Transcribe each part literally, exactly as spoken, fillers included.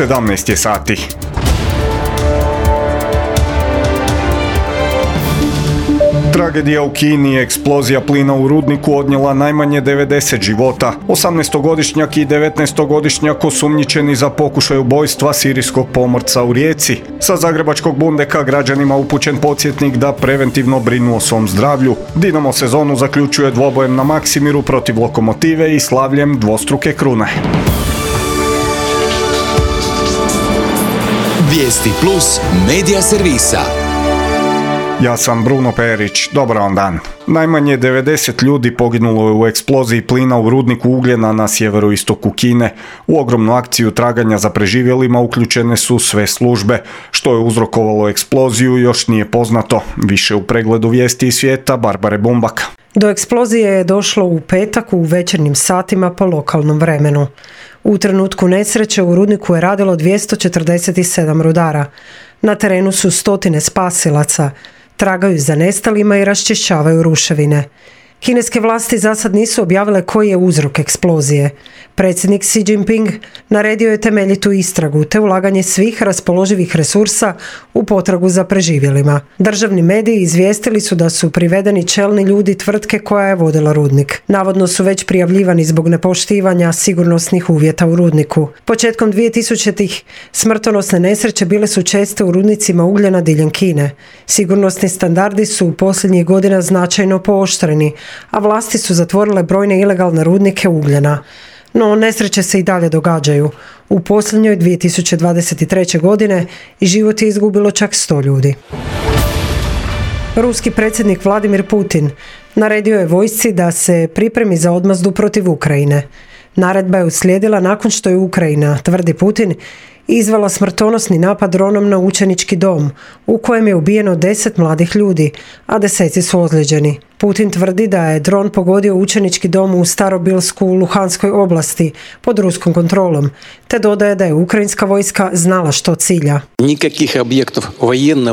sedamnaest je sati. Tragedija u Kini, eksplozija plina u rudniku odnijela najmanje devedeset života. osamnaestogodišnjak i devetnaestogodišnjak osumnjičeni za pokušaj ubojstva sirijskog pomorca u Rijeci. Sa zagrebačkog Bundeka građanima upućen podsjetnik da preventivno brinu o svom zdravlju. Dinamo sezonu zaključuje dvobojem na Maksimiru protiv Lokomotive i slavljem dvostruke krune. Vijesti plus medija servisa. Ja sam Bruno Perić, dobar vam dan. Najmanje devedeset ljudi poginulo je u eksploziji plina u rudniku ugljena na sjeveroistoku Kine. U ogromnu akciju traganja za preživjelima uključene su sve službe. Što je uzrokovalo eksploziju još nije poznato. Više u pregledu vijesti iz svijeta Barbare Bumbak. Do eksplozije je došlo u petak u večernjim satima po lokalnom vremenu. U trenutku nesreće u rudniku je radilo dvjesto četrdeset sedam rudara. Na terenu su stotine spasilaca. Tragaju za nestalima i raščišćavaju ruševine. Kineske vlasti za sad nisu objavile koji je uzrok eksplozije. Predsjednik Xi Jinping naredio je temeljitu istragu te ulaganje svih raspoloživih resursa u potragu za preživjelima. Državni mediji izvijestili su da su privedeni čelni ljudi tvrtke koja je vodila rudnik. Navodno su već prijavljivani zbog nepoštivanja sigurnosnih uvjeta u rudniku. Početkom dvjetisućitih smrtonosne nesreće bile su česte u rudnicima ugljena diljem Kine. Sigurnosni standardi su u posljednjih godina značajno pooštreni, a vlasti su zatvorile brojne ilegalne rudnike ugljena. No, nesreće se i dalje događaju. U posljednjoj dvije tisuće dvadeset treće. godine život je izgubilo čak sto ljudi. Ruski predsjednik Vladimir Putin naredio je vojsci da se pripremi za odmazdu protiv Ukrajine. Naredba je uslijedila nakon što je Ukrajina, tvrdi Putin, izvela smrtonosni napad dronom na učenički dom, u kojem je ubijeno deset mladih ljudi, a deseci su ozlijeđeni. Putin tvrdi da je dron pogodio učenički dom u Starobilsku u Luhanskoj oblasti pod ruskom kontrolom, te dodaje da je ukrajinska vojska znala što cilja.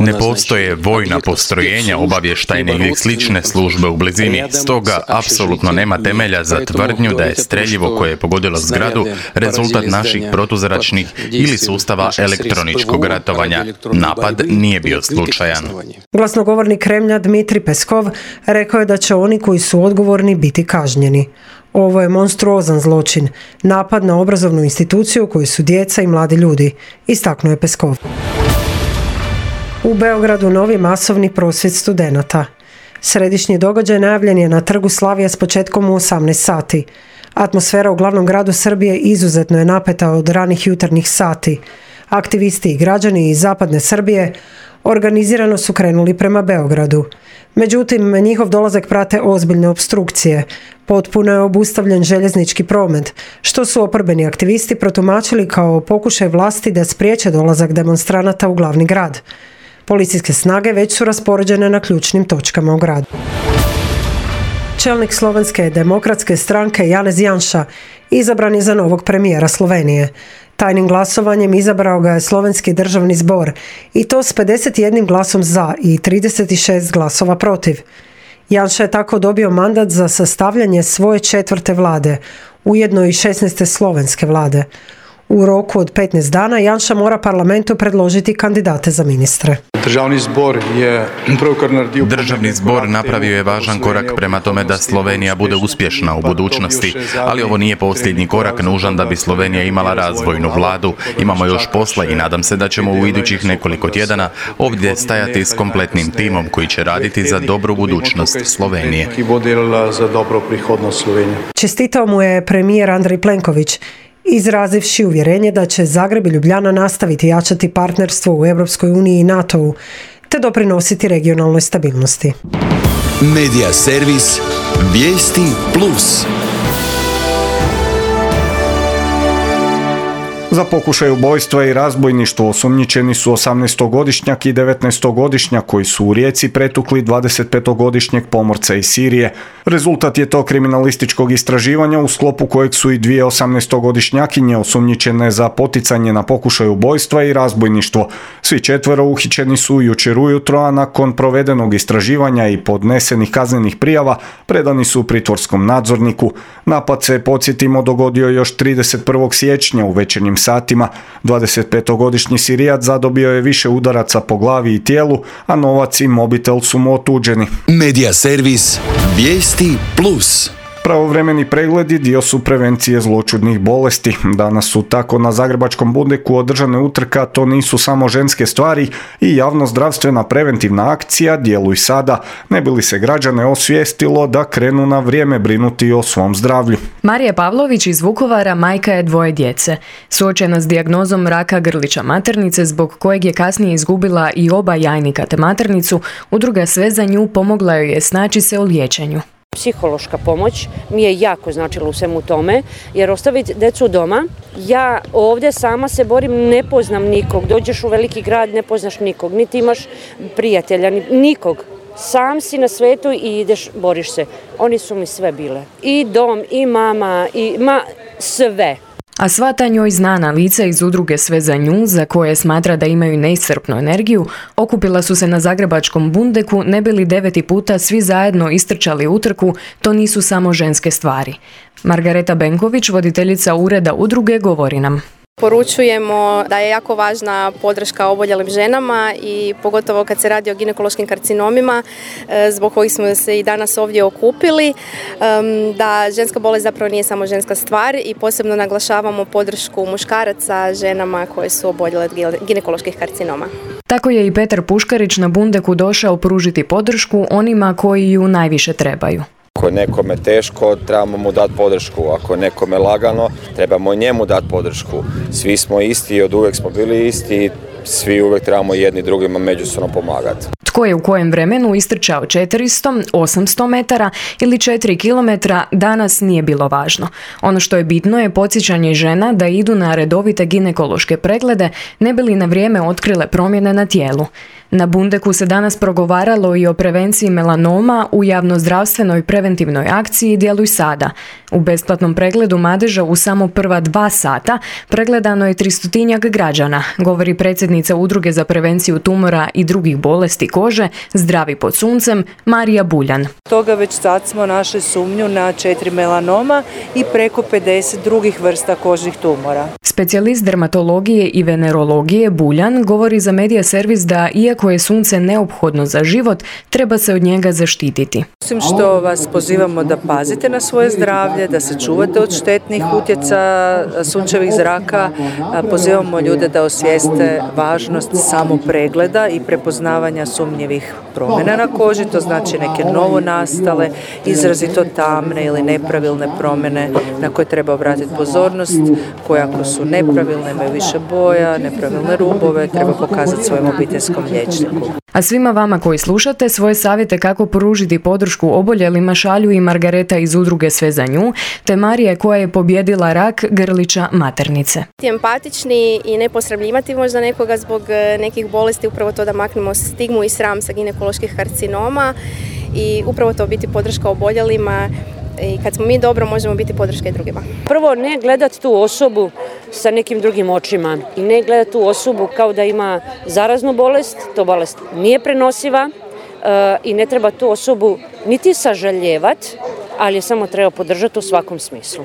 Ne postoje vojna postrojenja, obavještajne ili slične službe u blizini, stoga apsolutno nema temelja za tvrdnju da je streljivo koje je pogodilo zgradu rezultat naših protuzračnih ili sustava elektroničkog ratovanja. Napad nije bio slučajan. Glasnogovornik Kremlja Dmitri Peskov rekao je da će oni koji su odgovorni biti kažnjeni. Ovo je monstruozan zločin, napad na obrazovnu instituciju u kojoj su djeca i mladi ljudi, istaknuo je Peskov. U Beogradu novi masovni prosvjed studenata. Središnji događaj najavljen je na trgu Slavija s početkom u osamnaest sati. Atmosfera u glavnom gradu Srbije izuzetno je napeta od ranih jutarnjih sati. Aktivisti i građani iz zapadne Srbije organizirano su krenuli prema Beogradu. Međutim, njihov dolazak prate ozbiljne opstrukcije. Potpuno je obustavljen željeznički promet, što su oporbeni aktivisti protumačili kao pokušaj vlasti da spriječe dolazak demonstranata u glavni grad. Policijske snage već su raspoređene na ključnim točkama u gradu. Čelnik Slovenske demokratske stranke Janez Janša izabran je za novog premijera Slovenije. Tajnim glasovanjem izabrao ga je Slovenski državni zbor i to s pedeset jednim glasom za i trideset šest glasova protiv. Janša je tako dobio mandat za sastavljanje svoje četvrte vlade, ujedno i šesnaeste slovenske vlade. U roku od petnaest dana Janša mora parlamentu predložiti kandidate za ministre. Državni zbor je Državni zbor napravio je važan korak prema tome da Slovenija bude uspješna u budućnosti, ali ovo nije posljednji korak nužan da bi Slovenija imala razvojnu vladu. Imamo još posla i nadam se da ćemo u idućih nekoliko tjedana ovdje stajati s kompletnim timom koji će raditi za dobru budućnost Slovenije. Čestitao mu je premijer Andrej Plenković, izrazivši uvjerenje da će Zagreb i Ljubljana nastaviti jačati partnerstvo u Europskoj uniji i NATO-u, te doprinositi regionalnoj stabilnosti. Medija servis Vijesti plus. Za pokušaj ubojstva i razbojništvo osumnjičeni su osamnaestogodišnjak i devetnaestogodišnjak koji su u Rijeci pretukli dvadesetpetogodišnjeg pomorca iz Sirije. Rezultat je to kriminalističkog istraživanja u sklopu kojeg su i dvije osamnaestogodišnjakinje osumnjičene za poticanje na pokušaj ubojstva i razbojništvo. Svi četvero uhićeni su jučer ujutro, a nakon provedenog istraživanja i podnesenih kaznenih prijava predani su pritvorskom nadzorniku. Napad se, podsjetimo, dogodio još trideset prvog siječnja u večernjim satima Emiratima. dvadesetpetogodišnji Sirijac zadobio je više udaraca po glavi i tijelu, a novac i mobitel su mu otuđeni. Medija servis Vijesti plus. Pravovremeni pregledi dio su prevencije zloćudnih bolesti. Danas su tako na Zagrebačkom Bundeku održane utrka To nisu samo ženske stvari i javno-zdravstvena preventivna akcija Djeluj sada, ne bi li se građane osvijestilo da krenu na vrijeme brinuti o svom zdravlju. Marija Pavlović iz Vukovara majka je dvoje djece. Suočena s dijagnozom raka grlića maternice, zbog kojeg je kasnije izgubila i oba jajnika te maternicu, udruga Sve za nju pomogla joj je snaći se u liječenju. Psihološka pomoć mi je jako značila u svemu tome, jer ostaviti djecu doma, ja ovdje sama se borim, ne poznam nikog, dođeš u veliki grad, ne poznaš nikog, niti imaš prijatelja, nikog. Sam si na svetu i ideš, boriš se. Oni su mi sve bile. I dom, i mama, i ma, sve. A sva ta njoj znana lica iz udruge Sve za nju, za koje smatra da imaju neiscrpnu energiju, okupila su se na Zagrebačkom Bundeku, ne bili deveti puta svi zajedno istrčali utrku To nisu samo ženske stvari. Margareta Benković, voditeljica ureda udruge, govori nam. Poručujemo da je jako važna podrška oboljelim ženama i pogotovo kad se radi o ginekološkim karcinomima, zbog kojih smo se i danas ovdje okupili, da ženska bolest zapravo nije samo ženska stvar i posebno naglašavamo podršku muškaraca ženama koje su oboljele od ginekoloških karcinoma. Tako je i Petar Puškarić na Bundeku došao pružiti podršku onima koji ju najviše trebaju. Ako je nekome teško, trebamo mu dati podršku. Ako je nekome lagano, trebamo njemu dati podršku. Svi smo isti i od uvijek smo bili isti i svi uvijek trebamo jedni drugima međusobno pomagati. Tko je u kojem vremenu istrčao četiristo, osamsto metara ili četiri kilometra, danas nije bilo važno. Ono što je bitno je podsjećanje žena da idu na redovite ginekološke preglede, ne bi li na vrijeme otkrile promjene na tijelu. Na Bundeku se danas progovaralo i o prevenciji melanoma u javnozdravstvenoj preventivnoj akciji Djeluj sada. U besplatnom pregledu madeža u samo prva dva sata pregledano je tristotinjak građana, govori predsjednica Udruge za prevenciju tumora i drugih bolesti kože Zdravi pod suncem Marija Buljan. Toga već sad smo našli sumnju na četiri melanoma i preko pedeset drugih vrsta kožnih tumora. Specijalist dermatologije i venerologije Buljan govori za Medija servis da iako je sunce neophodno za život, treba se od njega zaštititi. Osim što vas pozivamo da pazite na svoje zdravlje, da se čuvate od štetnih utjecaja sunčevih zraka, pozivamo ljude da osvijeste važnost samopregleda i prepoznavanja sumnjivih promjena na koži, to znači neke novonastale, izrazito tamne ili nepravilne promjene na koje treba obratiti pozornost, koje ako su nepravilne, imaju više boja, nepravilne rubove, treba pokazati svojem obiteljskom liječniku. A svima vama koji slušate, svoje savjete kako pružiti podršku oboljelima šalju i Margareta iz udruge Sve za nju, te Marija koja je pobjedila rak grlića maternice. Empatični i ne posramljivati možda nekoga zbog nekih bolesti, upravo to da maknemo stigmu i sram sa ginekoloških karcinoma i upravo to biti podrška oboljelima. I kad smo mi dobro, možemo biti podrška i drugima. Prvo, ne gledati tu osobu sa nekim drugim očima i ne gledati tu osobu kao da ima zaraznu bolest, to bolest nije prenosiva e, i ne treba tu osobu niti sažaljevati, ali je samo treba podržati u svakom smislu.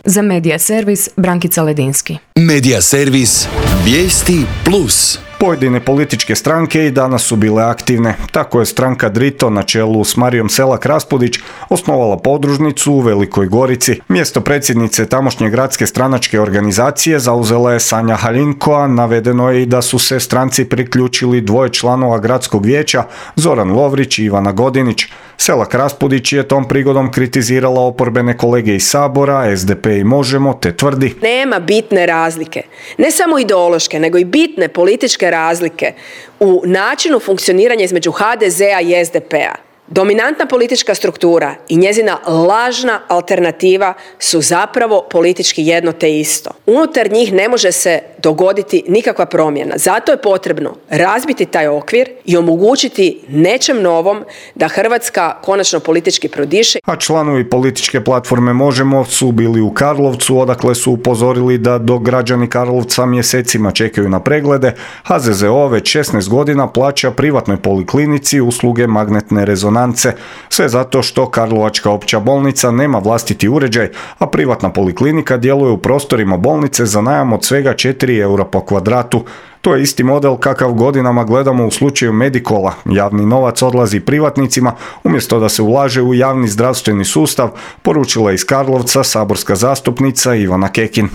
Za Medija servis Brankica Ledinski. Medija servis Vijesti plus. Pojedine političke stranke i danas su bile aktivne. Tako je stranka Drito na čelu s Marijom Selak-Raspudić osnovala podružnicu u Velikoj Gorici. Mjesto predsjednice tamošnje gradske stranačke organizacije zauzela je Sanja Halinko, a navedeno je i da su se stranci priključili dvoje članova gradskog vijeća, Zoran Lovrić i Ivana Godinić. Selak-Raspudić je tom prigodom kritizirala oporbene kolege iz Sabora, S D P i Možemo, te tvrdi: nema bitne razlike, ne samo ideološke, nego i bitne političke razlike u načinu funkcioniranja između H D Z-a i S D P-a. Dominantna politička struktura i njezina lažna alternativa su zapravo politički jedno te isto. Unutar njih ne može se dogoditi nikakva promjena. Zato je potrebno razbiti taj okvir i omogućiti nečem novom da Hrvatska konačno politički prodiše. A članovi političke platforme Možemo su bili u Karlovcu, odakle su upozorili da dok građani Karlovca mjesecima čekaju na preglede, H Z Z O već šesnaest godina plaća privatnoj poliklinici usluge magnetne rezonance. Sve zato što Karlovačka opća bolnica nema vlastiti uređaj, a privatna poliklinika djeluje u prostorima bolnice spalnice za najam od svega četiri eura po kvadratu. To je isti model kakav godinama gledamo u slučaju Medikola. Javni novac odlazi privatnicima umjesto da se ulaže u javni zdravstveni sustav, poručila iz Karlovca saborska zastupnica Ivana Kekin.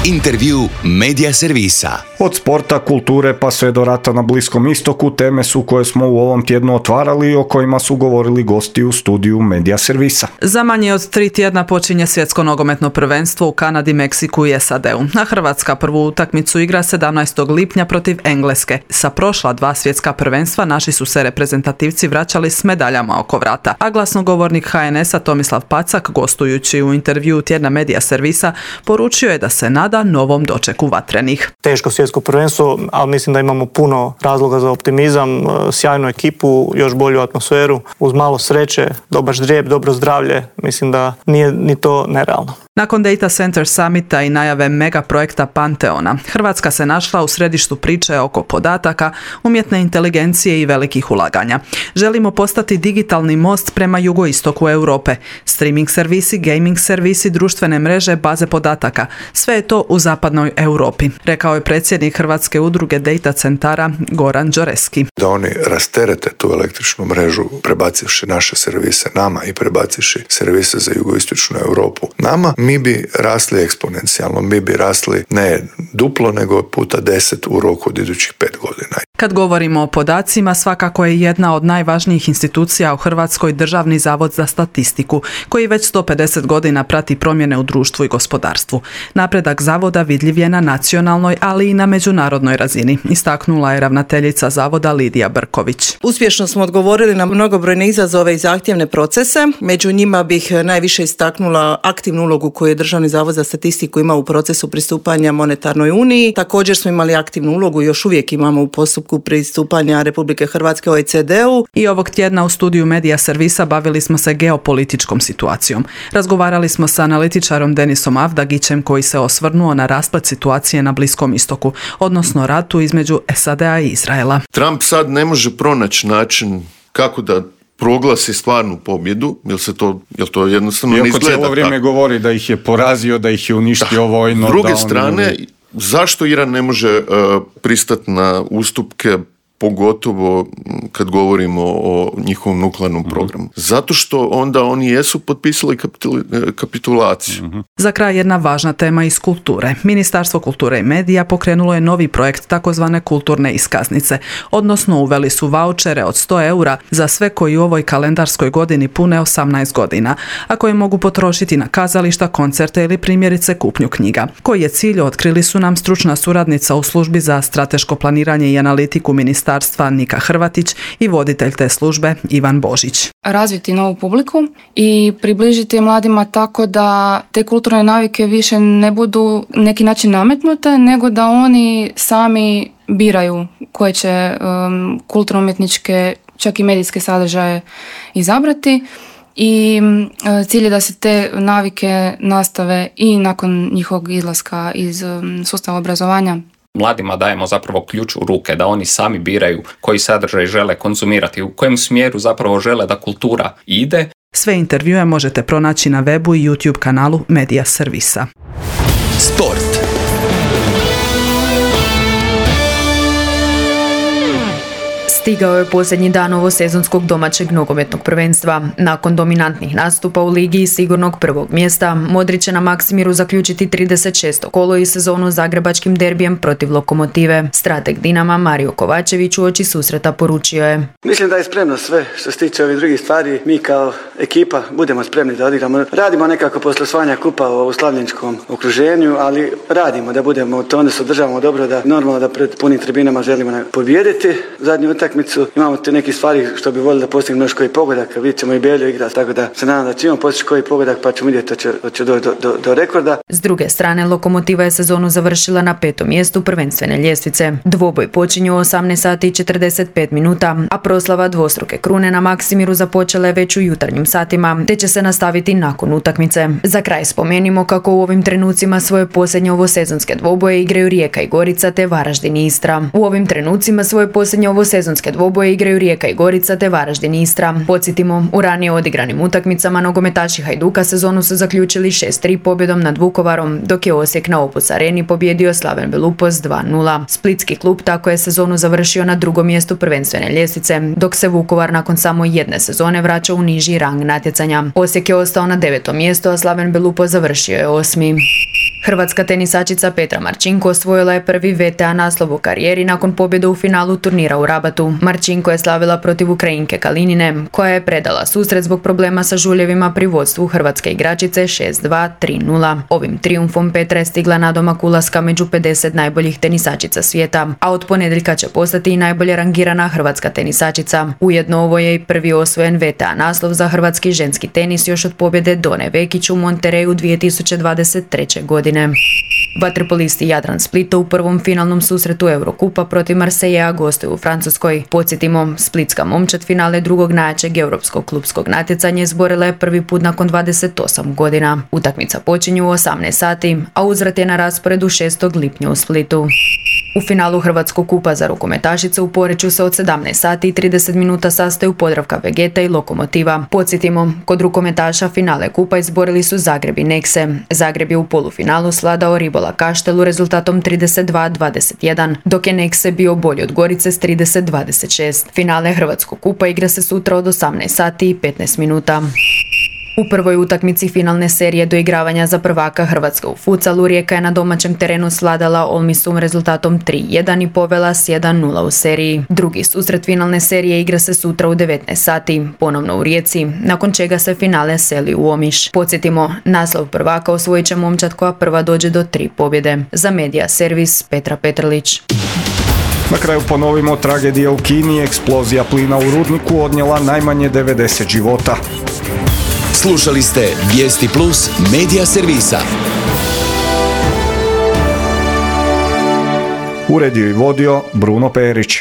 Intervju Medija servisa. Od sporta, kulture pa sve do rata na Bliskom istoku teme su koje smo u ovom tjednu otvarali i o kojima su govorili gosti u studiju Medija servisa. Za manje od tri tjedna počinje svjetsko nogometno prvenstvo u Kanadi, Meksiku i S A D-u. A Hrvatska prvu utakmicu igra sedamnaestog lipnja protiv Engleske. Sa prošla dva svjetska prvenstva naši su se reprezentativci vraćali s medaljama oko vrata. A glasnogovornik H N S-a Tomislav Pacak, gostujući u intervjuu tjedna Medija servisa, poručio je da se nada novom dočeku vatrenih. Teško svjetsko prvenstvo, ali mislim da imamo puno razloga za optimizam, sjajnu ekipu, još bolju atmosferu, uz malo sreće, dobar ždrijeb, dobro zdravlje, mislim da nije ni to nerealno. Nakon Data Center Summita i najave mega projekta Panteona, Hrvatska se našla u središtu priče oko podataka, umjetne inteligencije i velikih ulaganja. Želimo postati digitalni most prema jugoistoku Europe. Streaming servisi, gaming servisi, društvene mreže, baze podataka. Sve je to u zapadnoj Europi, rekao je predsjednik Hrvatske udruge Data Centara Goran Đoreski. Da oni rasterete tu električnu mrežu, prebacivši naše servise nama i prebacivši servise za jugoistočnu Europu nama, mi bi rasli eksponencijalno, mi bi rasli ne duplo, nego puta deset u roku od idućih pet godina. Kad govorimo o podacima, svakako je jedna od najvažnijih institucija u Hrvatskoj Državni zavod za statistiku, koji već sto pedeset godina prati promjene u društvu i gospodarstvu. Napredak zavoda vidljiv je na nacionalnoj, ali i na međunarodnoj razini, istaknula je ravnateljica zavoda Lidija Brković. Uspješno smo odgovorili na mnogobrojne izazove i zahtjevne procese. Među njima bih najviše istaknula aktivnu ulogu koju je Državni zavod za statistiku imao u procesu pristupanja monetarnoj uniji. Također smo imali aktivnu ulogu i još uvijek imamo u postupku pristupanja Republike Hrvatske O E C D-u. I ovog tjedna u studiju Medija servisa bavili smo se geopolitičkom situacijom. Razgovarali smo sa analitičarom Denisom Avdagićem koji se osvrnuo na rasplet situacije na Bliskom istoku, odnosno ratu između S A D-a i Izraela. Trump sad ne može pronaći način kako da proglasi stvarnu pobjedu, jer se to, jer to jednostavno ne izgleda. Iako cijelo vrijeme tako govori da ih je porazio, da ih je uništio da. vojno. S druge strane, oni... zašto Iran ne može uh, pristati na ustupke, pogotovo kad govorimo o njihovom nuklearnom programu? Zato što onda oni jesu potpisali kapitulaciju. Uh-huh. Za kraj jedna važna tema iz kulture. Ministarstvo kulture i medija pokrenulo je novi projekt takozvane kulturne iskaznice, odnosno uveli su vaučere od sto eura za sve koji u ovoj kalendarskoj godini pune osamnaest godina, a koje mogu potrošiti na kazališta, koncerte ili primjerice kupnju knjiga. Koji je cilj, otkrili su nam stručna suradnica u službi za strateško planiranje i analitiku ministarstva Nika Hrvatić i voditelj te službe Ivan Božić. Razviti novu publiku i približiti mladima tako da te kulturne navike više ne budu neki način nametnute, nego da oni sami biraju koje će um, kulturno-umjetničke, čak i medijske sadržaje izabrati. I uh, cilj je da se te navike nastave i nakon njihovog izlaska iz um, sustava obrazovanja. Mladima dajemo zapravo ključ u ruke da oni sami biraju koji sadržaj žele konzumirati, u kojem smjeru zapravo žele da kultura ide. Sve intervjue možete pronaći na webu i YouTube kanalu Medija servisa. Sport. Stigao je posljednji dan ovosezonskog domaćeg nogometnog prvenstva. Nakon dominantnih nastupa u ligi i sigurnog prvog mjesta, Modri će na Maksimiru zaključiti trideset šesto kolo i sezonu zagrebačkim derbijem protiv Lokomotive. Strateg Dinama Mario Kovačević uoči susreta poručio je: Mislim da je spremno sve što se tiče ovih drugih stvari. Mi kao ekipa budemo spremni da odigramo. Radimo nekako posle osvajanja kupa u slavljeničkom okruženju, ali radimo da budemo, to onda se održavamo dobro, da normalno da pred punim tribinama želimo pobijediti. Zadnju utakmicu imamo te neke stvari što bi volili da postignemo još koji pogodak, vidjet ćemo i Belju igrati, tako da se nadam da ćemo postići koji pogodak pa ćemo vidjeti da će, da će doći do, do, do rekorda. S druge strane, Lokomotiva je sezonu završila na petom mjestu prvenstvene ljestvice. Dvoboj počinje u osamnaest sati i četrdeset pet minuta, a proslava dvostruke krune na Maksimiru započela je već u jutarnjim satima, te će se nastaviti nakon utakmice. Za kraj spomenimo kako u ovim trenucima svoje posljednje ovosezonske dvoboje igraju Rijeka i Gorica te Varaždin i Istra. U ovim trenucima svoje posljednje ovosezonske finalske dvoboje igraju Rijeka i Gorica te Varaždin i Istra. Podsjetimo, u ranije odigranim utakmicama nogometaši Hajduka sezonu su zaključili šest tri pobjedom nad Vukovarom, dok je Osijek na Opus Areni pobjedio Slaven Belupos dva nula. Splitski klub tako je sezonu završio na drugom mjestu prvenstvene ljestvice, dok se Vukovar nakon samo jedne sezone vraća u niži rang natjecanja. Osijek je ostao na devetom mjestu, a Slaven Belupos završio je osmi. Hrvatska tenisačica Petra Marčinko osvojila je prvi V T A naslov u karijeri nakon pobjede u finalu turnira u Rabatu. Marčinko je slavila protiv Ukrajinke Kalinine, koja je predala susret zbog problema sa žuljevima pri vodstvu hrvatske igračice šest dva tri nula. Ovim trijumfom Petra je stigla nadomak ulaska među pedeset najboljih tenisačica svijeta, a od ponedjeljka će postati i najbolje rangirana hrvatska tenisačica. Ujedno ovo je i prvi osvojen V T A naslov za hrvatski ženski tenis još od pobjede Done Vekić u Montereju dvije tisuće dvadeset treće. godine. Vaterpolisti Jadran Splita u prvom finalnom susretu Eurokupa protiv Marseillea gostuju u Francuskoj. Podsjetimo, splitska momčad finale drugog najjačeg europskog klubskog natjecanja izborila je prvi put nakon dvadeset osam godina. Utakmica počinje u osamnaest sati, a uzvrat je na rasporedu šestog lipnja u Splitu. U finalu Hrvatskog kupa za rukometašice u Poreču se od sedamnaest sati i trideset minuta sastaju Podravka Vegeta i Lokomotiva. Podsjetimo, kod rukometaša finale kupa izborili su Zagreb i Nekse. Zagreb je u polufinalu svladao Ribola Kaštelu rezultatom trideset dva dvadeset jedan, dok je Nekse bio bolji od Gorice s trideset dvadeset šest. Finale Hrvatskog kupa igra se sutra od osamnaest sati i petnaest minuta. U prvoj utakmici finalne serije doigravanja za prvaka Hrvatske u futsalu Rijeka je na domaćem terenu svladala Olmisum rezultatom tri jedan i povela s jedan nula u seriji. Drugi susret finalne serije igra se sutra u devetnaest sati, ponovno u Rijeci, nakon čega se finale seli u Omiš. Podsjetimo, naslov prvaka osvojit će momčad koja prva dođe do tri pobjede. Za Medija servis Petra Petrlić. Na kraju ponovimo, tragedija u Kini, eksplozija plina u rudniku odnijela najmanje devedeset života. Slušali ste Vijesti Plus Medija servisa. Uredio i vodio Bruno Perić.